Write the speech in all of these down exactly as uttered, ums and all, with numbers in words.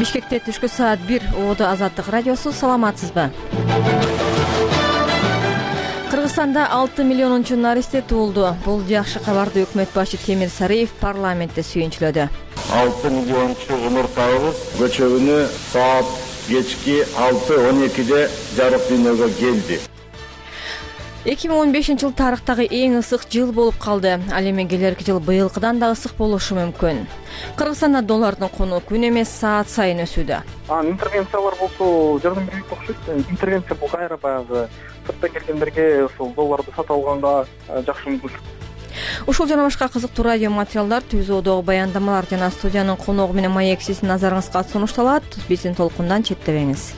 Бишкекте түшкү саат бир. Оодо Азаттык радиосу. Саламатсызбы? Кыргызстанда алты миллионунчу наристе туулду. Бул жакшы кабарды өкмөт башы Темир Сариев парламентте сүйүнчүлөдү. алты миллиончу умуртагыбыз көчө күнү саат кечки алты он экиде жарык дүйнөгө келди. эки миң он бешинчи жыл тарыхтагы эң ысык жыл болуп калды. Ал эми келерки жыл быйылкыдан да ысык болушу мүмкүн. Кыргызстанда доллардын куну күн эмес саат сайын өсүүдө. Интервенциялар болсо жардам бербейт окшойт. Интервенция бул кайра баягы сырттан келгендерге ошол долларды сатып алганга жакшы мүмкүнчүлүк. Ушул жана башка кызыктуу радио материалдар, түзүүдөгү баяндамалар жана студиянын коногу менен маек сиздин назарыңызга сунушталат. Биздин толкундан четтебеңиз.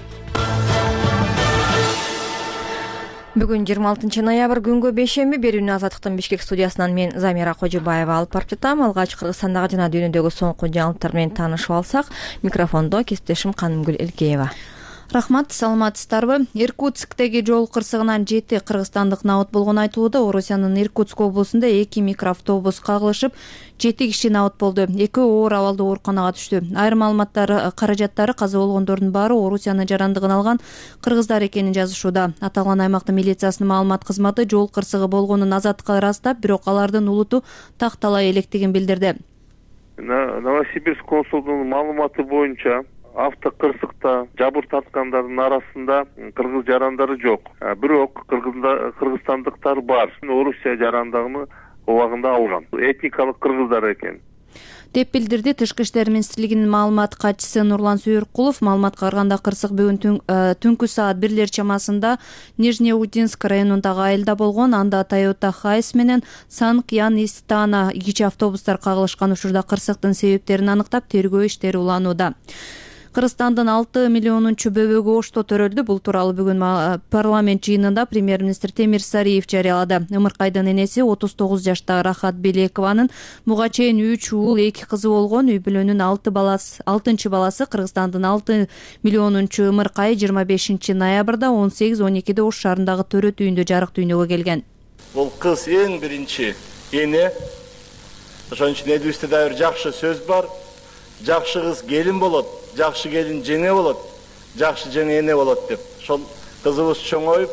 Бүгүн жыйырма алтынчы ноябрь күнгө бейшемби. Берүүнү Азаттыктын Бишкек студиясынан мен Замира Кожубаева алып барып жатам. Алгач Кыргызстандагы жана дүйнөдөгү соңку жаңылыктар менен таанышып алсак, микрофондо кесиптешим Канымгүл Элкеева. Рахмат, саламатсыздарбы? Иркутсктеги жол кырсыгынан жети кыргызстандык набыт болгону айтылууда. Орусиянын Иркутск облусунда эки микроавтобус кагылышып, жети киши набыт болду. Экөө оор абалда ооруканага түштү. Айрым маалыматтар каражаттары каза болгондордун баары Орусиянын жарандыгын алган кыргыздар экенин жазышууда. Аталган аймактын милициясынын маалымат кызматы жол кырсыгы болгонун азаттыкка ырастап, бирок алардын улуту такталай электигин билдирди. Новосибирск консулдугунун маалыматы боюнча авто кырсыкта жабыр тарткандардын арасында кыргыз жарандары жок. Бирок кыргызстандыктар бар. Орусия жарандыгын убагында алган. Этникалык кыргыздар экен деп билдирди Тышкы иштер министрлигинин маалымат катчысы Нурлан Сүйөркулов. Маалыматка караганда кырсык бүгүн түнкү саат бирлер чамасында Нижнеудинск районундагы айылда болгон. Анда Toyota Хайс менен Санкьян Истана кичи автобустар кагылышкан. Учурда кырсыктын себептерин аныктап тергөө иштери уланууда. Кыргызстандын алты миллионунчу бөбөгү Ошто төрөлдү. Бул тууралуу бүгүн парламент жыйынында премьер-министр Темир Сариев жарыялады. Ымыркайдын энеси отуз тогуз жаштагы Рахат Белекованын буга чейин үч уул, эки кызы болгон. Үй бүлөнүн алты баласы, алтынчы баласы Кыргызстандын алты миллионунчу Ымыркай жыйырма бешинчи ноябрда он сегиз он экиде Ош шаарындагы төрөт үйүндө жарык дүйнөгө келген. Бул кыз эң биринчи эне. Ошон үчүн элибизде да бир жакшы сөз бар. Жакшы кыз келин болот, жакшы келин жеңе болот, жакшы жеңе эне болот деп. Ошол кызыбыз чоңоюп,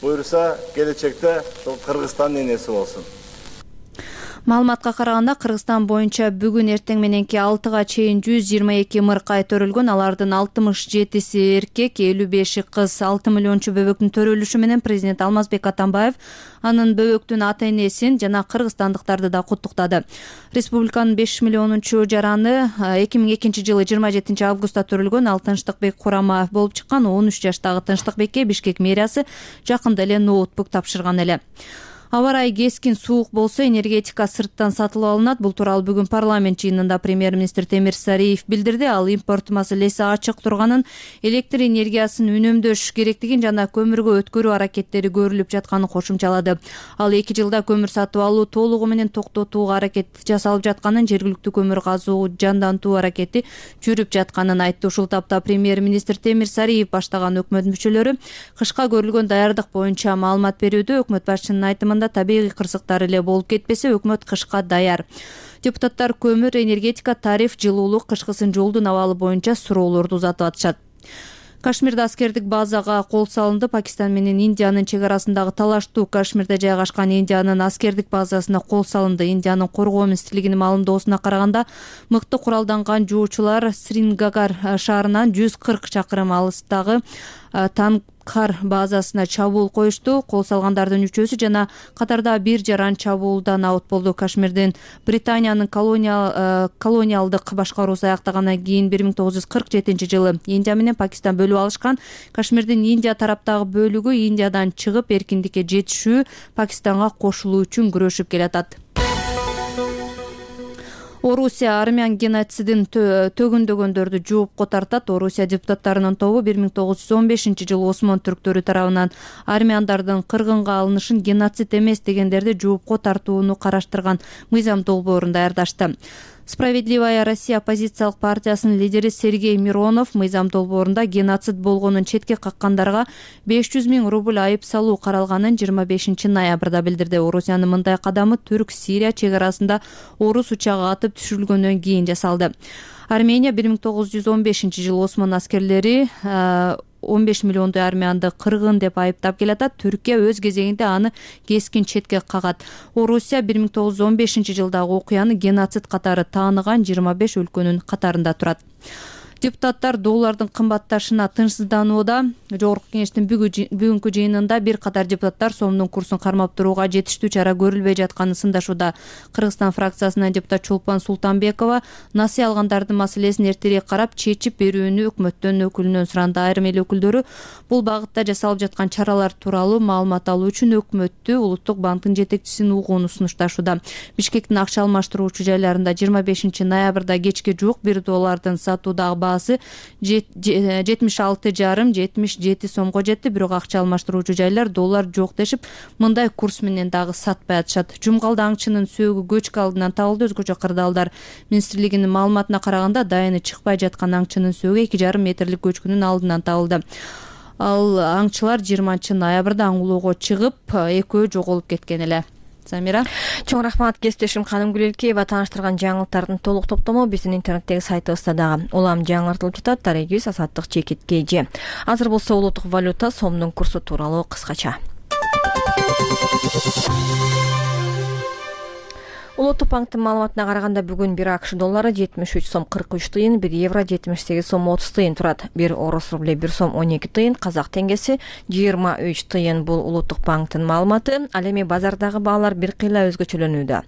буйруса келечекте ошол Кыргызстандын энеси болсун. Маалыматка караганда Кыргызстан боюнча бүгүн эртең мененки алтыга чейин жүз жыйырма эки ымыркай төрөлгөн. Алардын алтымыш жетиси эркек, элүү беши кыз. алты миллиончу бөбөктүн төрөлүшү менен президент Алмазбек Атамбаев анын бөбөктүн ата-энесин жана кыргызстандыктарды да куттуктады. Республиканын беш миллионунчу жараны эки миң экинчи жылы жыйырма жетинчи августта төрөлгөн. Ал Тынчтыкбек Курамаев болуп чыккан. он үч жаштагы Тынчтыкбекке Бишкек мэриясы жакында эле ноутбук тапшырган эле. Аба ырайы кескин суук болсо энергетика сырттан сатылып алынат. Бул тууралуу бүгүн парламент жыйынында премьер-министр Темир Сариев билдирди. Ал импорт маселеси ачык турганын, электр энергиясын үнөмдөш керектигин жана көмүргө өткөрүү аракеттери көрүлүп жатканын кошумчалады. Ал эки жылда көмүр сатып алуу толугу менен токтотууга аракет жасалып жатканын, жергиликтүү көмүр казуу жандантуу аракети жүрүп жатканын айтты. Ушул тапта премьер-министр Темир Сариев баштаган өкмөт мүчөлөрү кышка көрүлгөн даярдык боюнча маалымат берүүдө. Өкмөт башчынын айтымында табигый кырсыктар эле болуп кетпесе, өкмөт кышка даяр. Депутаттар көмүр, энергетика, тариф, жылуулук, кышкысын жолдун абалы боюнча суроолорду узатып атышат. Кашмирде аскердик базага кол салынды. Пакистан менен Индиянын чек арасындагы талаштуу Кашмирде жайгашкан Индиянын аскердик базасына кол салынды. Индиянын коргоо министрлигинин маалымдоосуна караганда, мыкты куралданган жоочулар Срингагар шаарынан жүз кырк чакырым алыстагы Танкхар базасына чабуул коюшту. Кол салгандардын үчөөсү жана катарда бир жаран чабуулдан абут болду. Кашмирден Британиянын колониал, колониалдык башкаруусу аяктагандан кийин бир миң тогуз жүз кырк жетинчи жылы Индия менен Пакистан бөлүп алышкан. Кашмирдин Индия тараптагы бөлүгү Индиядан чыгып эркиндикке жетишүү, Пакистанга кошулуу үчүн күрөшүп келатат. Орусия армян геноцидин төгүндөгөндөрдү жоопко тартат. Орусия депутаттарынын тобу бир миң тогуз жүз он бешинчи жылы Осмон түрктөрү тарабынан армяндардын кыргынга алынышын геноцид эмес дегендерди жоопко тартууну караштырган мыйзам долбоорун даярдашты. Справедливая Россия оппозициялык партиясынын лидери Сергей Миронов мыйзам долбоорунда геноцид болгонун четке каккандарга беш жүз миң рубль айып салуу каралганын жыйырма бешинчи ноябрда билдирди. Орусиянын мындай кадамы Түрк-Сирия чек арасында орус учагы атып түшүрүлгөндөн кийин жасалды. Армения бир миң тогуз жүз он бешинчи жылы Осман аскерлери он беш миллиондой армянды кыргын деп айыптап келатат. Түркия өз кезегинде аны кескин четке кагат. Орусия бир миң тогуз жүз он бешинчи жылдагы окуяны геноцид катары тааныган жыйырма беш өлкөнүн катарында турат. Депутаттар доллардын кымбатташына тынчсызданууда. Жогорку кеңештин бүгүнкү жыйынында бир катар депутаттар сомдун курсун кармап турууга жетиштүү чара көрүлбөй жатканын сындашууда. Кыргызстан фракциясынан депутат Чолпон Султанбекова насый алгандардын маселесин эртерээк карап чечип берүүнү өкмөттөн өкүлүнөн суранды. Айрым эл өкүлдөрү бул багытта жасалып жаткан чаралар тууралуу маалымат алуу үчүн өкмөттү Улуттук банктын жетекчисин угууну сунушташууда. Бишкектин акча алмаштыруучу жайларында жыйырма бешинчи ноябрда кечке жуук бир доллардын сатуудагы баасы жетимиш алты жарым жетимиш жети сомго жетти. Бирок акча алмаштыруучу жайлар доллар жок дешип, мындай курс менен дагы сатпай атышат. Жумгалды аңчынын сөөгү көчкү алдынан табылды. Өзгөчө кырдаалдар министрлигинин маалыматына караганда дайыны чыкпай жаткан аңчынын сөөгү эки жарым метрлик көчкүнүн алдынан табылды. Ал аңчылар жыйырманчы ноябрда аң улоого чыгып, экөө жоголуп кеткен эле. Замира. Чоң рахмат кесиптешим Канымгүл Элкеева. Тааныштырган жаңылыктардын толук топтому биздин интернеттеги сайтыбызда дагы улам жаңыртылып жатат. Дарегиз Азаттык Чекит Кежи. Азыр болсо улуттук валюта сомдун курсу тууралуу кыскача. Улуттук банктын маалыматына караганда бүгүн бир АКШ доллары жетимиш үч сом кырк үч тыйын, бир евро жетимиш сегиз сом отуз тыйын турат. Бир орус рубле бир сом он эки тыйын, казак теңгеси жыйырма үч тыйын. Бул Улуттук банктын маалыматы. Ал эми базардагы баалар бир кыйла өзгөчөлөнүүдө.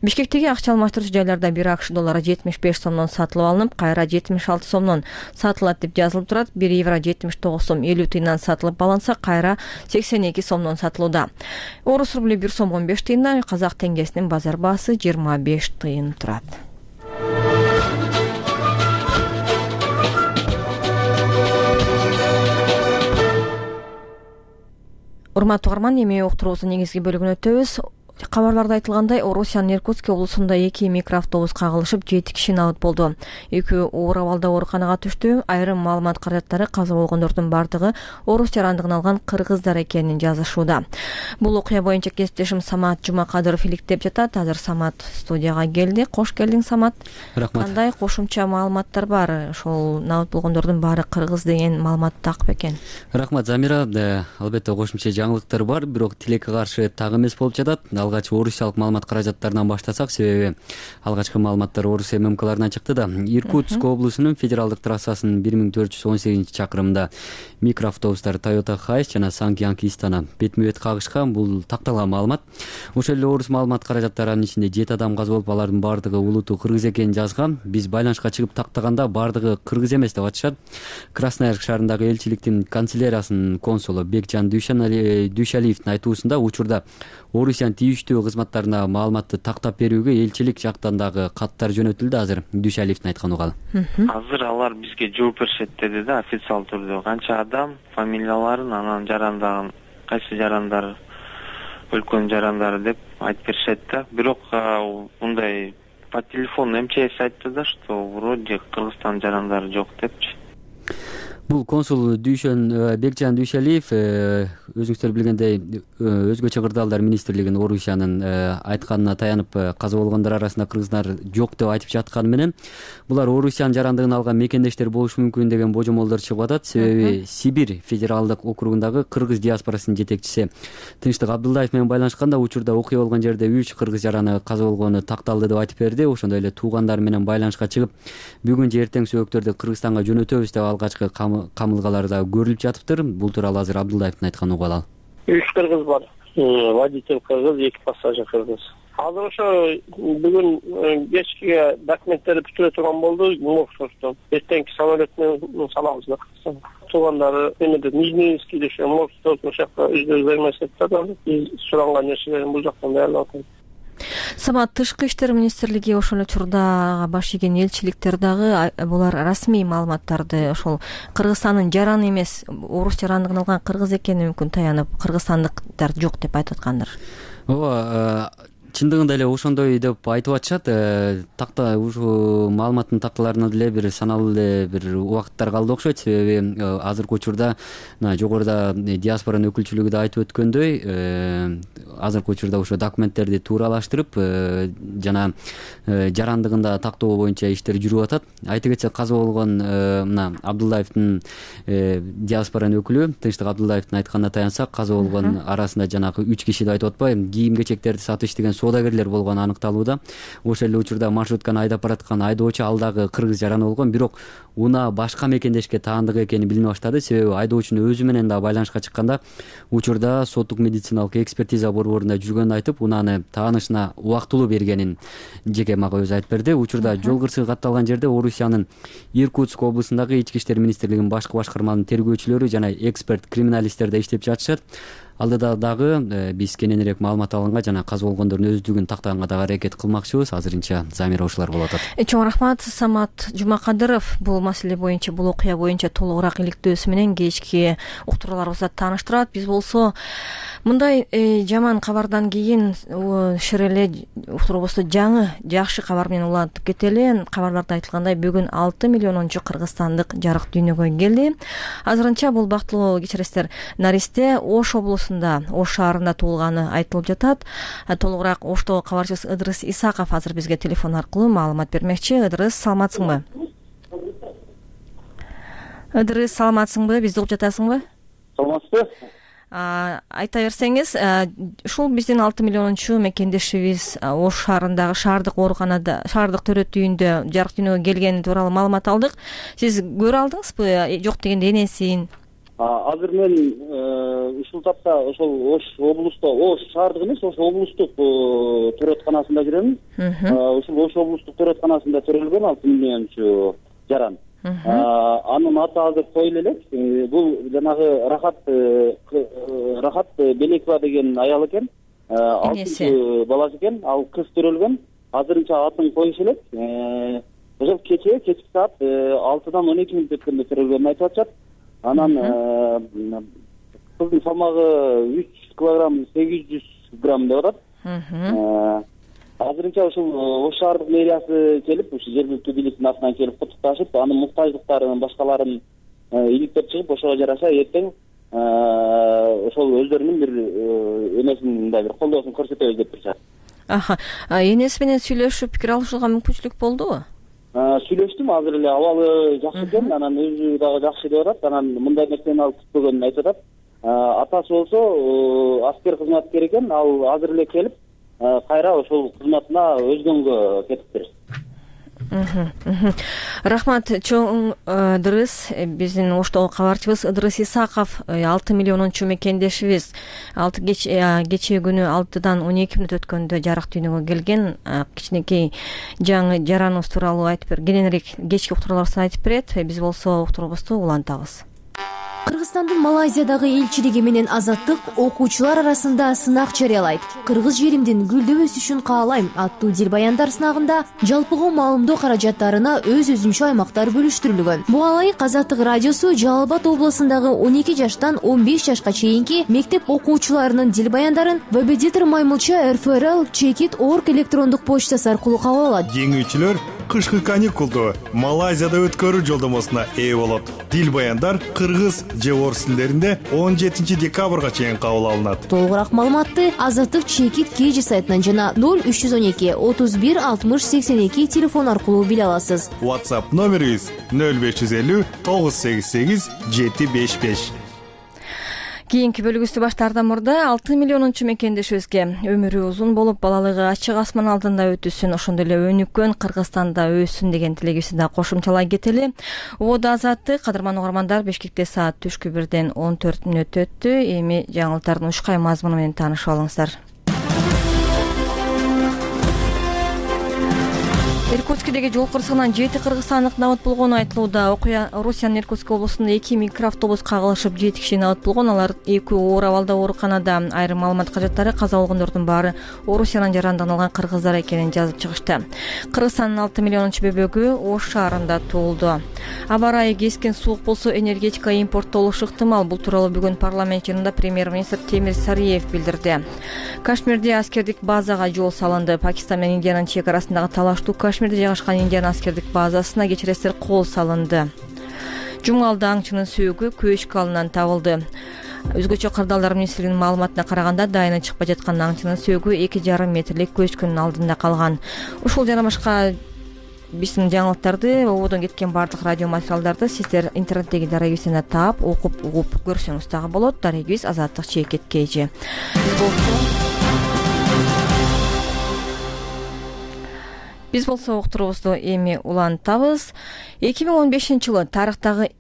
Бишкектеги акча алмаштыруучу жайларда бир АКШ доллары жетимиш беш сомдон сатылып алынып, кайра жетимиш алты сомдон сатылат деп жазылып турат. бир евро жетимиш тогуз сом элүү тыйындан сатылып алынса, кайра сексен эки сомдон сатылууда. Орус рубле бир сом он беш тыйындан, казак теңгесинин базар баасы жыйырма беш тыйын турат. Урматтуу угарман, эми уктуруубуздун негизги бөлүгүнө өтөбүз. Кабарларда айтылгандай, Орусиянын Иркутск облусунда эки микроавтобус кагылышып, жети киши набыт болду. Экөө оор абалда ооруканага түштү. Айрым маалымат каражаттары каза болгондордун бардыгы орус жарандыгын алган кыргыздар экенин жазышууда. Бул окуя боюнча кесиптешим Самат Жумакадыров иликтеп жатат. Азыр Самат студияга келди. Кош келдиң, Самат. Рахмат. Кандай кошумча маалыматтар бар? Ошол набыт болгондордун баары кыргыз деген маалымат так бекен? Рахмат, Замира. Албетте кошумча жаңылыктар бар, бирок тилекке каршы так эмес болуп жатат. Алгач орусиялык маалымат каражаттарынан баштасак, себеби алгачкы маалыматтар Орусия ММКларынан чыкты да. Иркутск облусунун федералдык трассасынын бир миң төрт жүз он сегизинчи чакырымында микроавтобустар Toyota Hiace жана Sankyang Istana бетме бет кагышкан. Бул такталган маалымат. Ошол эле орус маалымат каражаттарынын ичинде жети адам каза болуп, алардын бардыгы улуту кыргыз экенин жазган. Биз байланышка чыгып тактаганда бардыгы кыргыз эмес деп атышат. Красноярск шаарындагы элчиликтин канцеляриясынын консулу Бекжан Дүйшалиевдин айтуусунда учурда Орусиянын тийиштүү кызматтарына маалыматты тактап берүүгө элчилик жактан дагы каттар жөнөтүлдү. Азыр Дүйшалиевдин айткан угалы. Азыр алар бизге жооп беришет деди да, официалдуу түрдө. Канча адам, фамилияларын, анан жарандагын, кайсы жарандар, өлкөнүн жарандары деп айтып беришет да. Бирок мындай по телефону МЧС айтты да, что вроде Кыргызстан жарандары жок депчи. Бул консул Дүйшөн Бекжан Дүйшалиев өзүңүздөр билгендей өзгөчө кырдаалдар министрлигинин Орусиянын айтканына таянып каза болгондор арасында кыргыздар жок деп айтып жатканы менен булар Орусиянын жарандыгын алган мекендештер болушу мүмкүн деген божомолдор чыгып атат. Себеби Сибирь федералдык округундагы кыргыз диаспорасынын жетекчиси Тынчтык Абдулдаев менен байланышканда учурда окуя болгон жерде үч кыргыз жараны каза болгону такталды деп айтып берди. Ошондой эле туугандары менен байланышка чыгып, бүгүн же эртең сөөктөрдү Кыргызстанга жөнөтөбүз деп алгачкы камылгаларда көрүлүп жатыптыр. Бул тууралуу азыр Абдулдаевдин айткан угалы. Үч кыргыз бар. Водитель кыргыз, эки пассажир кыргыз. Азыр ошо бүгүн кечке документтерди бүтүрө турган болду. Моргтон эртеңки самолет менен салабыз да. Туугандары эмеде Нижнийскийде ошо Моргтон жакта өздөрү займашат да. Биз суранган нерселерин бул жактан даярдап атабыз. Самат, Тышкы иштер министрлиги ошол учурда баш ийген элчиликтер дагы булар расмий маалыматтарды ошол Кыргызстандын жараны эмес, орус жарандыгын алган кыргыз экени мүмкүн таянып, кыргызстандыктар жок деп айтып аткандыр. Ооба, чындыгында эле ошондой деп айтып атышат. Такта ушул маалыматтын такталарына деле бир саналуу эле бир убакыттар калды окшойт. Себеби азыркы учурда жогоруда диаспоранын өкүлчүлүгү да айтып өткөндөй, азыркы учурда ошо документтерди тууралаштырып жана жарандыгында тактоо боюнча иштер жүрүп атат. Айта кетсек, каза болгон мына Абдуллаевдин диаспоранын өкүлү Тынчтык Абдуллаевдин айтканына таянсак, каза болгон арасында жанагы үч киши деп айтып атпайбы, кийим-кечектерди сатыш деген соодагерлер болгону аныкталууда. Ошол эле учурда маршрутканы айдап бараткан айдоочу ал дагы кыргыз жараны болгон, бирок унаа башка мекендешке таандык экени билине баштады. Себеби айдоочунун өзү менен да байланышка чыкканда учурда соттук медициналык экспертиза борборунда жүргөнүн айтып, унааны таанышына убактылуу бергенин жеке мага өзү айтып берди. Учурда жол кырсыгы катталган жерде Орусиянын Иркутск облусундагы Ички иштер министрлигинин башкы башкарманын тергөөчүлөрү жана эксперт криминалисттер да иштеп жатышат. Алдыда дагы биз кененирээк маалымат алганга жана каза болгондордун өздүгүн тактаганга дагы аракет кылмакчыбыз. Азырынча Замира ушулар болуп атат. Чоң рахмат. Самат Жумакадыров бул маселе боюнча, бул окуя боюнча толугураак иликтөөсү менен кечки уктурууларыбызды тааныштырат. Биз болсо мындай жаман кабардан кийин шыр эле уктуруубузду жаңы жакшы кабар менен улантып кетели. Кабарларда айтылгандай, бүгүн алты миллионунчу кыргызстандык жарык дүйнөгө келди. Азырынча бул бактылуу кечиресиздер наристе Ош облусу Ош шаарында туулганы айтылып жатат. Толугураак Оштогу кабарчыбыз Ыдырыс Исаков азыр бизге телефон аркылуу маалымат бермекчи. Ыдырыс, саламатсыңбы? Ыдырыс, саламатсыңбы? Бизди угуп жатасыңбы? Саламатсызбы? Айта берсеңиз, ушул биздин алты миллионунчу мекендешибиз Ош шаарындагы шаардык ооруканада, шаардык төрөт үйүндө жарык дүйнөгө келгени тууралуу маалымат алдык. Сиз көрө алдыңызбы? Жок дегенде энесин? Азыр мен ушул тапта ошол Ош облусту, Ош шаардык эмес, Ош облустук төрөтканасында жүрөм. Ушул Ош облустук төрөтканасында төрөлгөн алты миллиончу жаран. Анын аты азыр коюла элек. Бул жанагы Рахат Рахат Белекова деген аял экен. алтынчы баласы экен. Ал кыз төрөлгөн. Азырынча атын коюш элек. Ошол кече кечки саат алтыдан он эки мүнөт өткөндө төрөлгөнүн айтып атышат. Анан кыздын салмагы үч килограмм сегиз жүз грамм деп атат. Азырынча ушул Ош шаардык мэриясы келип, ушу жергиликтүү бийликтин атынан келип куттукташып, анын муктаждыктарын башкаларын иликтеп чыгып, ошого жараша эртең ошол өздөрүнүн бир эмесин, мындай бир колдоосун көрсөтөбүз деп турушат. Аха. Энеси менен сүйлөшүп пикир алышууга мүмкүнчүлүк болдубу? Сүйлөштүм, азыр эле абалы жакшы экен, анан өзү дагы жакшы деп атат, анан мындай нерсени ал күтпөгөнүн айтып атат. Атасы болсо аскер кызматкер экен, ал азыр эле келип, кайра ошол кызматына өзгөнгө кетиптир. Рахмат, чоң Ыдырыс. Биздин Оштогу кабарчыбыз Ыдырыс Исаков алты миллионунчу мекендешибиз кечээ күнү алтыдан он эки мүнөт өткөндө жарык дүйнөгө келген кичинекей жаңы жараныбыз тууралуу айтып бер, кененирээк кечки уктурууларыбызды айтып берет. Биз болсо уктуруубузду улантабыз. Кыргызстандын Малайзиядагы элчилиги менен Азаттык окуучулар арасында сынак жарыялайт. Кыргыз жеримдин гүлдөп өсүшүн каалайм аттуу дилбаяндар сынагында жалпыга маалымдоо каражаттарына өз-өзүнчө аймактар бөлүштүрүлгөн. Буга ылайык Азаттык радиосу Жалал Абад облусундагы он эки жаштан он беш жашка чейинки мектеп окуучуларынын дилбаяндарын Вебедитор Маймылча эр эф эр эл чекит точка орг электрондук почтасы аркылуу кабыл алат. Жеңүүчүлөр кышкы каникулду Малайзияда өткөрүү жолдомосуна ээ болот. Дилбаяндар кыргыз же орус тилдеринде он жетинчи декабрга чейин кабыл алынат. Толугураак маалыматты Азаттык чекит кж сайтынан жана ноль үч жүз он эки отуз бир алтымыш сексен эки телефон аркылуу биле аласыз. WhatsApp номерибиз ноль беш жүз элүү тогуз сегиз сегиз жети беш беш. Кийинки бөлүгүбүздү баштаардан мурда алты миллионунчу мекендешибизге өмүрү узун болуп, балалыгы ачык асман алдында өтүсүн, ошондой эле өнүккөн Кыргызстанда өссүн деген тилегибизди да кошумчалай кетели. Убада Азаттык, кадырман угармандар, Бишкекте саат түшкү бирден он төрт мүнөт өттү. Эми жаңылыктардын ушкай мазмуну менен таанышып алыңыздар. Иркутскидеги жол кырсыгынан жети кыргызстандык набыт болгону айтылууда. Окуя Орусиянын Иркутск облусунда эки микроавтобус кагылышып жети киши набыт болгон. Алар экөө оор абалда ооруканада. Айрым маалымат кажеттары каза болгондордун баары Орусиянын жарандыгын алган кыргыздар экенин жазып чыгышты. Кыргызстандын алты миллионунчу бөбөгү Ош шаарында туулду. Аба ырайы кескин суук болсо энергетика импорттолушу ыктымал. Бул тууралуу бүгүн парламент жыйынында премьер-министр Темир Сариев билдирди. Кашмирде аскердик базага жол салынды. Пакистан менен Индиянын чек арасындагы талаштуу Кашмирде жайгашкан Индиан аскердик базасына кечиресиздер кол салынды. Жумгалда аңчынын сөөгү Көчкү алынан табылды. Өзгөчө кырдаалдар министрлигинин маалыматына караганда, дайыны чыкпай жаткан аңчынын сөөгү эки жарым метрлик көчкүнүн алдында калган. Ушул жана башка биздин жаңылыктарды, ободон кеткен бардык радио материалдарды сиздер интернеттеги дарегибизден таап, окуп, угуп көрсөңүз дагы болот. Дарегибиз Азаттык Чекет Кежи. Биз болсо уктурубузду эми улантабыз. эки миң он бешинчи жылы тарыхтагы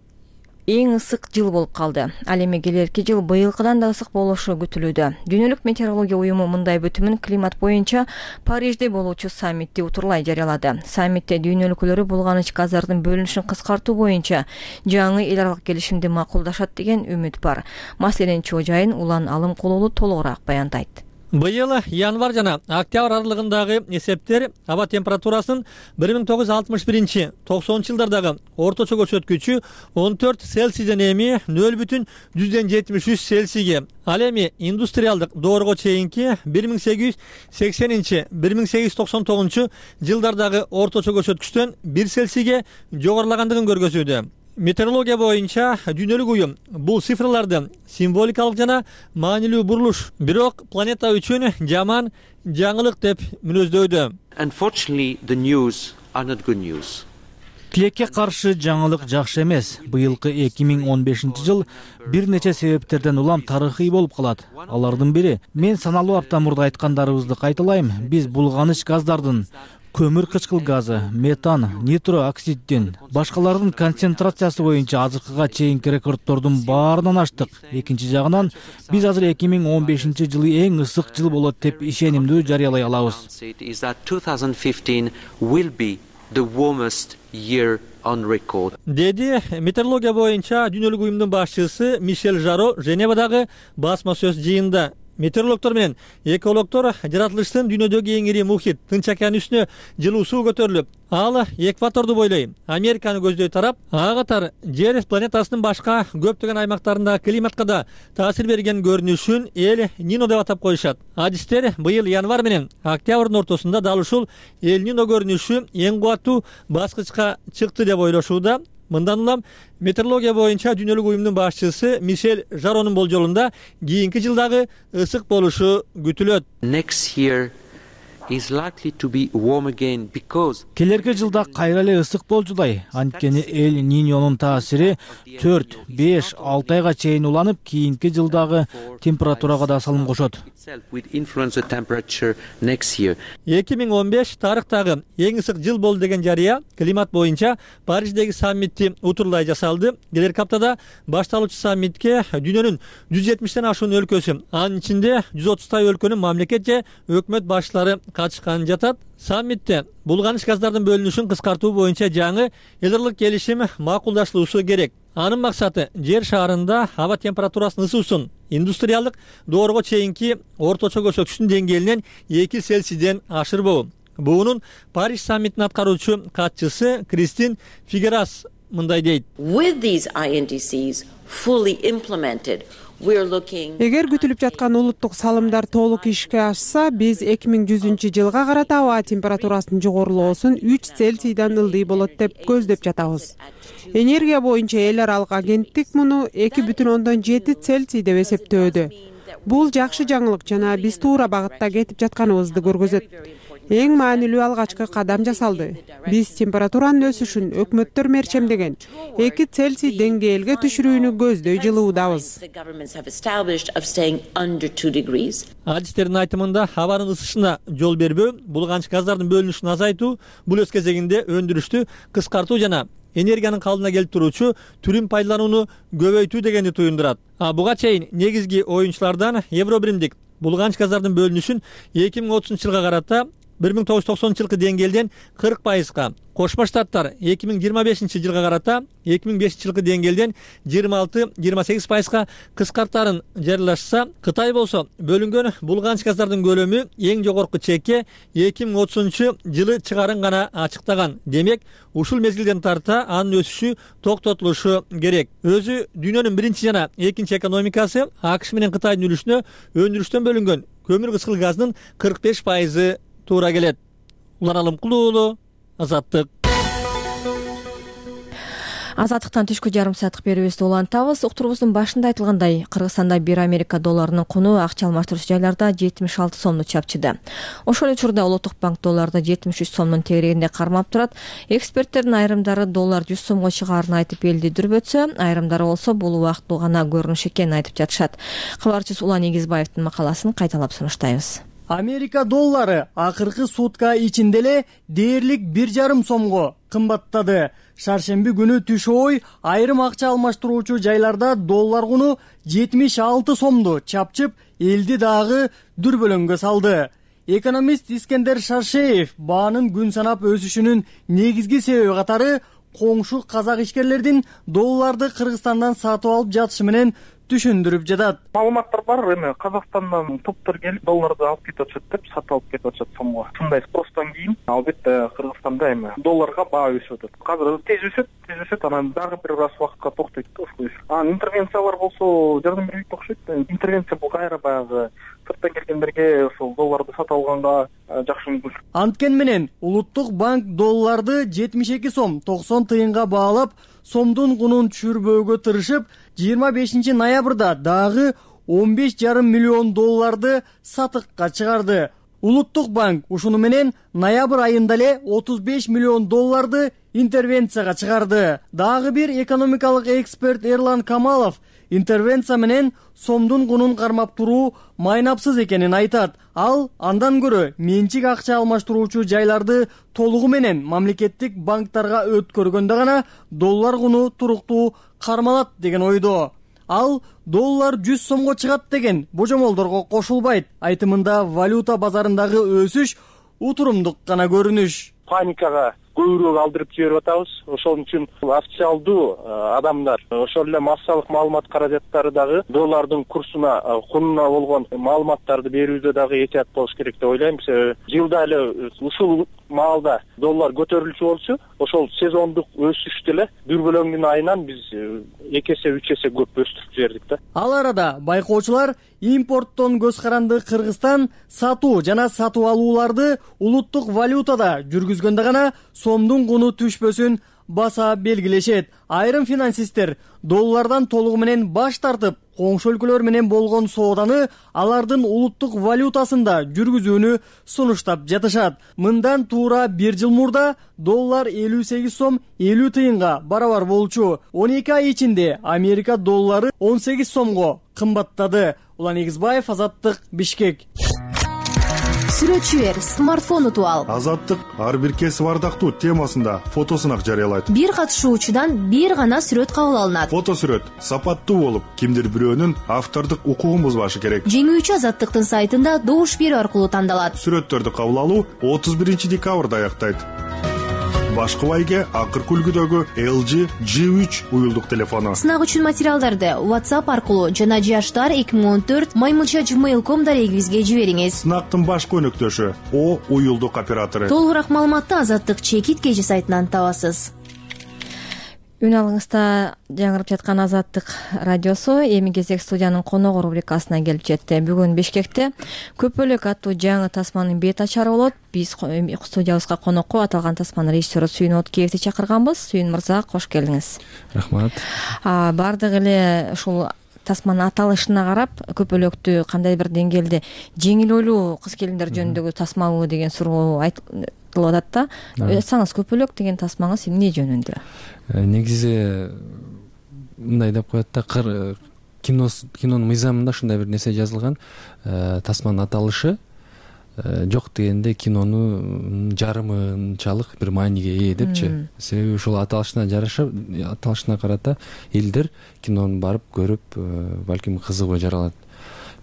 эң ысык жыл болуп калды. Ал эми келерки жыл быйылкыдан да ысык болушу күтүлүүдө. Дүйнөлүк метеорология уюму мындай бүтүмүн климат боюнча Парижде болуучу саммитти утурлай жарыялады. Саммитте дүйнө өлкөлөрү булганыч газдардын бөлүнүшүн кыскартуу боюнча жаңы эл аралык келишимди макулдашат деген үмүт бар. Маселенин чоо жайын Улан Алым Кулулу толугураак баяндайт. Быйыл январь жана октябрь аралыгындагы эсептер аба температурасынын бир миң тогуз жүз алтымыш биринчи токсонунчу жылдардагы орточо көрсөткүчү он төрт Цельсийден эми нөл бүтүн жүздөн жетимиш үч Цельсийге, ал эми индустриалдык доорго чейинки бир миң сегиз жүз сексенинчи — бир миң сегиз жүз токсон тогузунчу жылдардагы орточо көрсөткүчтөн бир Цельсийге жогорулагандыгын көргөзүүдө. Метеорология боюнча дүйнөлүк уюм бул цифрларды символикалык жана маанилүү бурулуш, бирок планета үчүн жаман жаңылык деп мүнөздөйдү. Тилекке каршы жаңылык жакшы эмес. Быйылкы эки миң он бешинчи жыл бир нече себептерден улам тарыхый болуп калат. Алардын бири, мен саналуу апта мурда айткандарыбызды кайталайм, биз булганыч газдардын, көмүр кычкыл газы, метан, нитро оксиддин, башкалардын концентрациясы боюнча азыркыга чейинки рекордтордун баарынан аштык. Экинчи жагынан, биз азыр эки миң он бешинчи жылы эң ысык жыл болот деп ишенимдүү жарыялай алабыз. Деди метеорология боюнча дүйнөлүк уюмдун башчысы Мишель Жаро Женевадагы басма сөз жыйынында. Метеорологдор менен экологдор жаратылыштын дүйнөдөгү эң ири мухит Тынч океан үстүнө жылуу суу көтөрүлүп, ал экваторду бойлой Американы көздөй тарап, ага катар Жер планетасынын башка көптөгөн аймактарында климатка да таасир берген көрүнүшүн Эл Нино деп атап коюшат. Адистер быйыл январь менен октябрдын ортосунда дал ушул Эл Нино көрүнүшү эң кубаттуу баскычка чыкты деп ойлошууда. Мындан улам метеорология боюнча дүйнөлүк уюмдун башчысы Мишель Жаронун болжолунда кийинки жылдагы ысык болушу күтүлөт. Келерки жылда кайра эле ысык болжулай. Анткени Эл Ниньонун таасири төрт, беш, алты айга чейин уланып, кийинки жылдагы температурага да салым кошот. эки миң он беш тарыхтагы эң ысык жыл болду деген жарыя климат боюнча Париждеги саммитти утурлай жасалды. Келерки аптада башталуучу саммитке дүйнөнүн жүз жетимиштен ашуун өлкөсү, анын ичинде жүз отуздай өлкөнүн мамлекет же өкмөт башчылары катышкан жатат. Саммитте булганыч газдардын бөлүнүшүн кыскартуу боюнча жаңы эл аралык келишим макулдашылуусу керек. Анын максаты жер шаарында аба температурасынын ысуусун индустриалдык доорго чейинки орточо көрсөткүчтүн деңгээлинен эки Цельсийден ашырбоо. Буунун Париж саммитинин аткаруучу катчысы Кристин Фигерас мындай дейт. Эгер күтүлүп жаткан улуттук салымдар толук ишке ашса, биз эки миң жүзүнчү жылга карата аба температурасынын жогорулоосун үч Цельсийден ылдый болот деп көздөп жатабыз. Энергия боюнча эл аралык агенттик муну эки бүтүн ондон жети Цельсий деп эсептөөдө. Бул жакшы жаңылык жана биз туура багытта кетип жатканыбызды көргөзөт. Эң маанилүү алгачкы кадам жасалды. Биз температуранын өсүшүн өкмөттөр мерчемдеген эки Цельсий деңгээлге түшүрүүнү көздөй жылуудабыз. Адистердин айтымында абанын ысышына жол бербөө, булганыч газдардын бөлүнүшүн азайтуу, бул өз кезегинде өндүрүштү кыскартуу жана энергиянын калдына келип туруучу түрүн пайдаланууну көбөйтүү дегенди туюндурат. А буга чейин негизги оюнчулардан Евробиримдик булганыч газдардын бөлүнүшүн эки миң отузунчу жылга карата бир миң тогуз жүз токсонунчу жылкы деңгээлден кырк пайызга, Кошмо Штаттар эки миң жыйырма бешинчи жылга карата эки миң бешинчи жылкы деңгээлден жыйырма алты жыйырма сегиз пайызга кыскартарын жарыялашса, Кытай болсо бөлүнгөн булганыч газдардын көлөмү эң жогорку чекке эки миң отузунчу жылы чыгарын гана ачыктаган. Демек, ушул мезгилден тарта анын өсүшү токтотулушу керек. Өзү дүйнөнүн биринчи жана экинчи экономикасы АКШ менен Кытайдын үлүшүнө өндүрүштөн бөлүнгөн көмүр кызгыл газдын кырк беш пайызы туура келет. Улан Алымкулуу уулу, Азаттык. Азаттыктан түшкү жарым сааттык берүүбүздү улантабыз. Уктурубуздун башында айтылгандай, Кыргызстанда бир Америка долларынын куну акча алмаштыруучу жайларда жетимиш алты сомду чапчыды. Ошол эле учурда Улуттук банк долларды жетимиш үч сомдун тегерегинде кармап турат. Эксперттердин айрымдары доллар жүз сомго чыгаарын айтып элди дүрбөтсө, айрымдары болсо бул убактылуу гана көрүнүш экенин айтып жатышат. Кабарчыбыз Улан Эгизбаевдин макаласын кайталап сунуштайбыз. Америка доллары акыркы сутка ичинде эле дээрлик бир жарым сомго кымбаттады. Шаршемби күнү түш ой айрым акча алмаштыруучу жайларда доллар куну жетимиш алты сомду чапчып, элди дагы дүрбөлөңгө салды. Экономист Искендер Шаршеев баанын күн санап өсүшүнүн негизги себеби катары коңшу казак ишкерлердин долларды Кыргызстандан сатып алып жатышы менен түшүндүрүп жатат. Маалыматтар бар, эми Казакстандан топтор келип долларды алып кетип атышат деп, сатып алып кетип атышат сомго. Ушундай спростон кийин албетте Кыргызстанда эми долларга баа өсүп атат. Азыр тез өсөт, тез өсөт, анан дагы бир аз убакытка токтойт да ушул өсүш. Анан интервенциялар болсо жардам бербейт окшойт. Интервенция бул кайра баягы сырттан келгендерге ошол долларды сатып алганга жакшы мүмкүнчүлүк. Анткени менен Улуттук банк долларды жетимиш эки сом токсон тыйынга баалап, сомдун кунун түшүрбөөгө тырышып, жыйырма бешинчи ноябрда дагы он беш жарым миллион долларды сатыкка чыгарды. Улуттук банк ушуну менен ноябрь айында эле отуз беш миллион долларды интервенцияга чыгарды. Дагы бир экономикалык эксперт Эрлан Камалов интервенция менен сомдун кунун кармап туруу майнапсыз экенин айтат. Ал андан көрө менчик акча алмаштыруучу жайларды толугу менен мамлекеттик банктарга өткөргөндө гана доллар куну туруктуу кармалат деген ойдо. Ал доллар жүз сомго чыгат деген божомолдорго кошулбайт. Айтымында валюта базарындагы өсүш утурумдук гана көрүнүш. Паникага көбүрөөк алдырып жиберип атабыз. Ошол үчүн официалдуу адамдар, ошол эле массалык маалымат каражаттары дагы доллардын курсуна, кунуна болгон маалыматтарды берүүдө дагы этият болуш керек деп ойлойм. Себеби жылда эле ушул маалда доллар көтөрүлчү болчу, ошол сезондук өсүштү эле дүрбөлөңдүн айынан биз эки эсе үч эсе көп өстүрүп жибердик да. Ал арада байкоочулар импорттон көз каранды Кыргызстан сатуу жана сатып алууларды улуттук валютада жүргүзгөндө гана сомдун куну түшпөсүн баса белгилешет. Айрым финансисттер доллардан толугу менен баш тартып, коңшу өлкөлөр менен болгон сооданы алардын улуттук валютасында жүргүзүүнү сунуштап жатышат. Мындан туура бир жыл мурда доллар элүү сегиз сом элүү тыйынга барабар болчу. он эки ай ичинде Америка доллары он сегиз сомго кымбаттады. Улан Эгизбаев, Азаттык, Бишкек. Сүрөтчү бер, смартфон утуп ал. Азаттык ар бир кесип ардактуу темасында фотосунак жарыялайт. Бир катышуучудан бир гана сүрөт кабыл алынат. Фото сүрөт сапаттуу болуп, кимдир бирөөнүн автордук укугун бузбашы керек. Жеңүүчү Азаттыктын сайтында добуш берүү аркылуу тандалат. Сүрөттөрдү кабыл алуу отуз биринчи декабрда аяктайт. Башкы байге акыркы үлгүдөгү эл джи джи үч уюлдук телефону. Сынак үчүн материалдарды WhatsApp аркылуу жана жаштар эки миң он төрт маймылча gmail точка ком дарегибизге жибериңиз. Сынактын башкы өнөктөшү О уюлдук оператору. Толугураак маалыматты Азаттык чекит кежи сайтынан табасыз. Үн алыңызда жаңырып жаткан Азаттык радиосу эми кезек студиянын коногу рубрикасына келип жетти. Бүгүн Бишкекте көпөлөк аттуу жаңы тасманын бет ачары болот. Биз студиябызга конокко аталган тасманын режиссеру Сүйүн Откеевди чакырганбыз. Сүйүн мырза, кош келдиңиз. Рахмат. Бардык эле ушул тасманын аталышына карап көпөлөктү кандай бир деңгээлде жеңил ойлуу кыз келиндер жөнүндөгү тасмабы деген суроо айтылып атат да. Айтсаңыз, көпөлөк деген тасмаңыз эмне жөнүндө? Негизи мындай деп коет да, кинонун мыйзамында ушундай бир нерсе жазылган. Тасманын аталышы жок дегенде кинонун жарымынчалык бир мааниге ээ депчи. Себеби ушул аталышына жараша, аталышына карата элдер кинону барып көрүп, балким кызыгуу жаралат.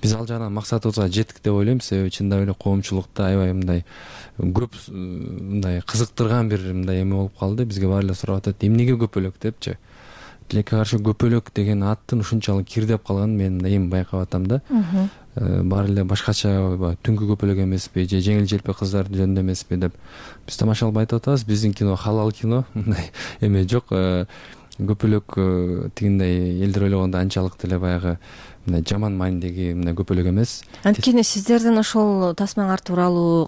биз ал жагынан максатыбызга жеттик деп ойлойм. Себеби чындап эле коомчулукта аябай мындай көп мындай кызыктырган бир мындай эме болуп калды. Бизге баары эле сурап атат, эмнеге көпөлөк депчи. Тилекке каршы көпөлөк деген аттын ушунчалык кирдеп калганын мен эми байкап атам да. Баары эле башкача түнкү көпөлөк эмеспи же жеңил желпи кыздар жөнүндө эмеспи деп биз тамашалап айтып атабыз. Биздин кино халал кино, мындай эме жок. Көпөлөк тигиндей элдер ойлогондо анчалык деле баягы мындай жаман маанидеги мындай көпөлөк эмес. Анткени сиздердин ошол тасмаңар тууралуу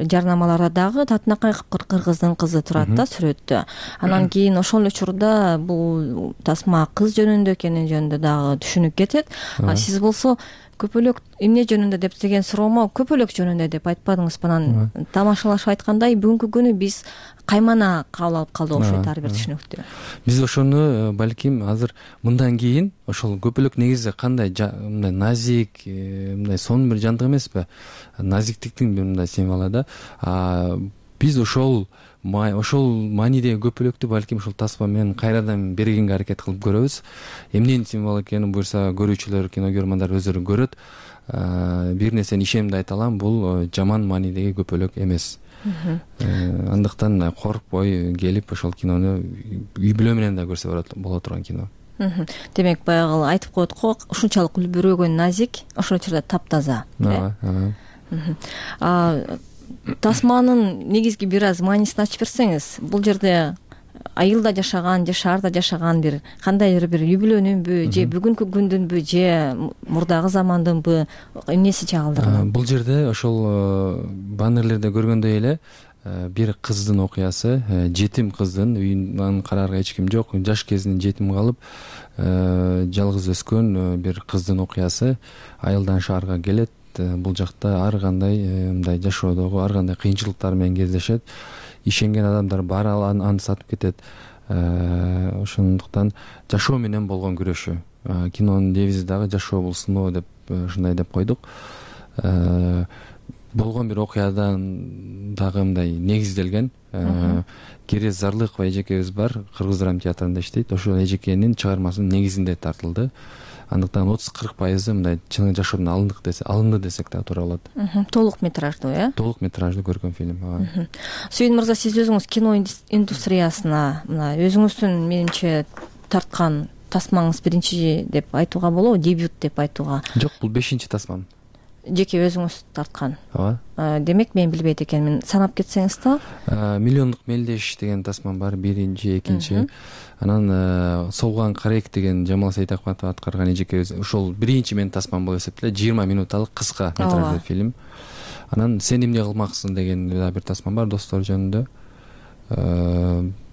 жарнамаларда дагы татынакай кыргыздын кызы турат да сүрөттө. Анан кийин ошол учурда бул тасма кыз жөнүндө экени жөнүндө дагы түшүнүп кетет. А сиз болсо көпөлөк эмне жөнүндө деп деген суроомо көпөлөк жөнүндө деп айтпадыңызбы? Анан тамашалашып айткандай бүгүнкү күнү биз каймана кабыл алып калдык окшойт ар бир түшүнүктү. Биз ошону балким азыр мындан кийин ошол көпөлөк негизи кандай мындай назик, мындай сонун бир жандык эмеспи? Назиктиктин бир мындай символу да. Биз ошол ошол маанидеги көпөлөктү балким ушул тасма менен кайрадан бергенге аракет кылып көрөбүз. Эмненин символу экенин буюрса көрүүчүлөр, кинокөрмандар өздөрү көрөт. Бир нерсени ишенимдүү айта алам, бул жаман маанидеги көпөлөк эмес. Андыктан коркпой келип ошол кинону үй бүлө менен да көрсө боло турган кино. Демек баягы айтып коет го, ушунчалык үлбүрөгөн, назик, ошол учурда таптаза. Тасманын негизги бир аз маанисин ачып берсеңиз, бул жерде айылда жашаган же шаарда жашаган бир кандайдыр бир үй бүлөнүнбү же бүгүнкү күндүнбү же мурдагы замандынбы эмнеси чагылдырган? Бул жерде ошол баннерлерде көргөндөй эле бир кыздын окуясы, жетим кыздын, үйүнөн караарга эч ким жок, жаш кезинен жетим калып, жалгыз өскөн бир кыздын окуясы айылдан шаарга келет. Бул жакта ар кандай мындай жашоодогу ар кандай кыйынчылыктар менен кездешет. Ишенген адамдар баары аны сатып кетет. Ошондуктан жашоо менен болгон күрөшү. Кинонун девизи дагы жашоо бул сыноо деп ушундай деп койдук. Болгон бир окуядан дагы мындай негизделген. Керез Зарлыкова эжекебиз бар, Кыргыз драма театрында иштейт. Ошол эжекенин чыгармасынын негизинде тартылды. Андыктан отуз кырк пайызы мындай чын жашоодон алындык десе, алынды десек да туура болот. Толук метраждуу, э? Толук метраждуу көркөм фильм. Сүйүн мырза, сиз өзүңүз кино индустриясына мына өзүңүздүн менимче тарткан тасмаңыз биринчи деп айтууга болобу, дебют деп айтууга? Жок, бул бешинчи тасмам. Жеке өзүңүз тарткан. Ооба. Демек мен билбейт экенмин. Санап кетсеңиз да? Миллиондук мелдеш деген тасмам бар, биринчи, экинчи. Анан Солган Карек деген Жамал Сейтахматов аткарган эжекебиз ошол биринчи менин тасмам болуп эсептелет. жыйырма минуталык кыска метраждуу фильм. Анан Сен эмне кылмаксың деген дагы бир тасмам бар, достор жөнүндө.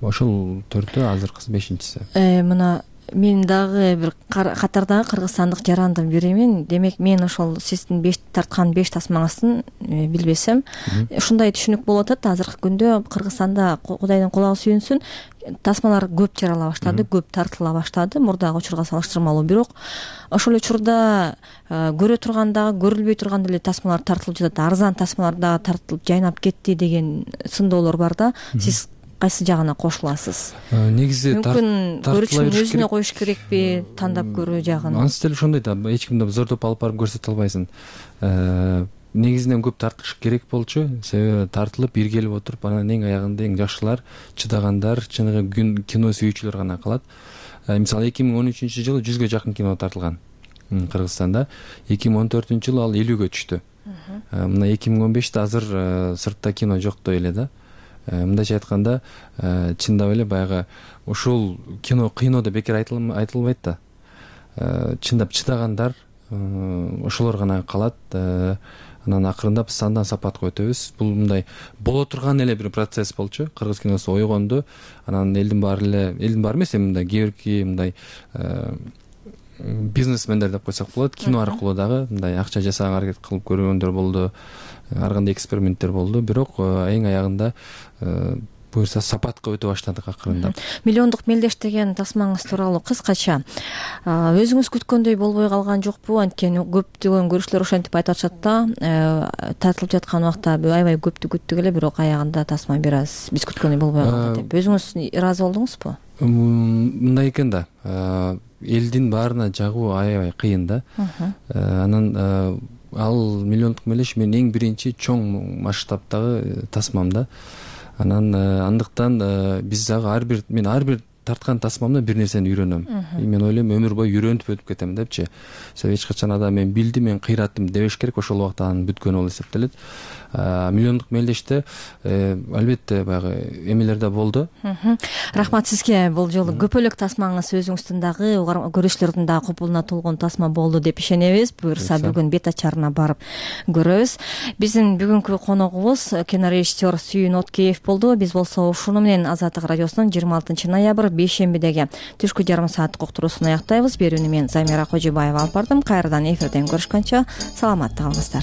Ошол төртөө, азыркысы бешинчиси. Мына мен дагы бир катардагы кыргызстандык жарандын биримин. Демек мен ошол сиздин беш тарткан беш тасмаңыздын билбесем, ушундай түшүнүк болуп атат. Азыркы күндө Кыргызстанда Кудайдын кулагы сүйүнсүн, тасмалар көп жарала баштады, көп тартыла баштады мурдагы учурга салыштырмалуу. Бирок ошол учурда көрө тургандагы, көрүлбөй турган эле тасмалар тартылып жатат. Арзан тасмалар дагы тартылып жайнап кетти деген сындоолор бар да. Сиз кайсы жагына кошуласыз? Негизи мүмкүн көрүүчүнүн өзүнө коюш керекпи, тандап көрүү жагын? Анысы деле ошондой да, эч кимди зордоп алып барып көрсөтө албайсың. Негизинен көп тартыш керек болчу. Себеби тартылып бир келип отуруп, анан эң аягында эң жакшылар, чыдагандар, чыныгы кино сүйүүчүлөр гана калат. Мисалы эки миң он үчүнчү жылы жүзгө жакын кино тартылган Кыргызстанда. эки миң он төртүнчү жылы ал элүүгө түштү. Мына эки миң он беште азыр сыртта кино жоктой эле да. Мындайча айтканда, чындап эле баягы ушул кино кыйноодо бекер айтылбайт да. Чындап чыдагандар ошолор гана калат. Анан акырындап сандан сапатка өтөбүз. Бул мындай боло турган эле бир процесс болчу. Кыргыз киносу ойгонду. Анан элдин баары эле, элдин баары эмес, эми мындай кээ мындай бизнесмендер деп койсок болот, кино аркылуу дагы мындай акча жасаганга аракет кылып көргөндөр болду. Ар кандай эксперименттер болду. Бирок эң аягында буюрса сапатка өтө баштадык акырындап. Миллиондук мелдеш деген тасмаңыз тууралуу кыскача өзүңүз күткөндөй болбой калган жокпу? Анткени көптөгөн көрүүчүлөр ошентип айтып атышат да, тартылып жаткан убакта аябай көптү күттүк эле, бирок аягында тасма бир аз биз күткөндөй болбой калды деп. Өзүңүз ыраазы болдуңузбу? Мындай экен да, элдин баарына жагуу аябай кыйын да. Анан ал миллиондук мелдеш менин эң биринчи чоң масштабтагы тасмам да. Анан андыктан биз дагы ар бир мен ар бир тарткан тасмамда бир нерсени үйрөнөм. Мен ойлойм өмүр бою үйрөнүп өтүп кетем депчи. Себеби эч качан адам мен билдим, мен кыйраттым дебеш керек, ошол убакта анын бүткөнү болуп эсептелет. Миллиондук мелдеште албетте баягы эмелер да болду. Рахмат сизге. Бул жолу көпөлөк тасмаңыз өзүңүздүн дагы көрүүчүлөрдүн дагы купулуна толгон тасма болду деп ишенебиз. Буюрса бүгүн бет ачарына барып көрөбүз. Биздин бүгүнкү коногубуз кинорежиссер Сүйүн Откеев болду. Биз болсо ушуну менен Азаттык радиосунун жыйырма алтынчы ноябрь бейшембидеги түшкү жарым сааттык уктуруусун аяктайбыз. Берүүнү мен Замира Кожубаева алып бардым. Кайрадан эфирден көрүшкөнчө саламатта калыңыздар.